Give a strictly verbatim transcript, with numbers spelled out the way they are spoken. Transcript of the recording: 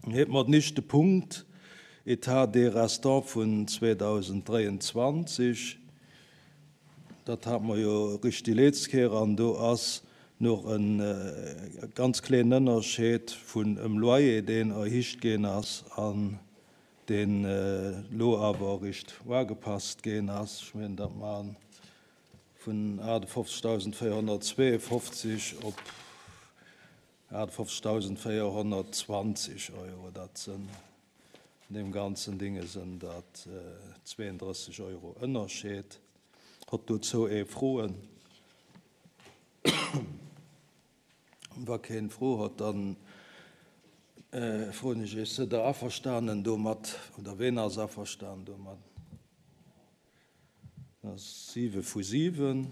Huet mer den éischte Punkt, État des restants vun zweedausenddräianzwanzeg. Dat hat mer jo richteg déi letzt Kéier, an do ass noch en ganz kleen Ënnerscheed vun em Loyer, deen erhicht ginn ass an deen lo awer richt ugepasst ginn ass. Ech mengen, dat man vun achtundfünfzigtausendvierhundertzweiundfünfzig op achtundfünfzigtausendvierhundertzwanzig Euro. Dat sinn in dem ganzen Dinge sind dat zweiunddrësseg Euro Ënnerscheed. Hott dozou ee Froen? Wa keen Fro hott, dann froen ech iech, sidd der averstanen domat, oder ween ass averstanen domat? Dat ass siwe vu siwen.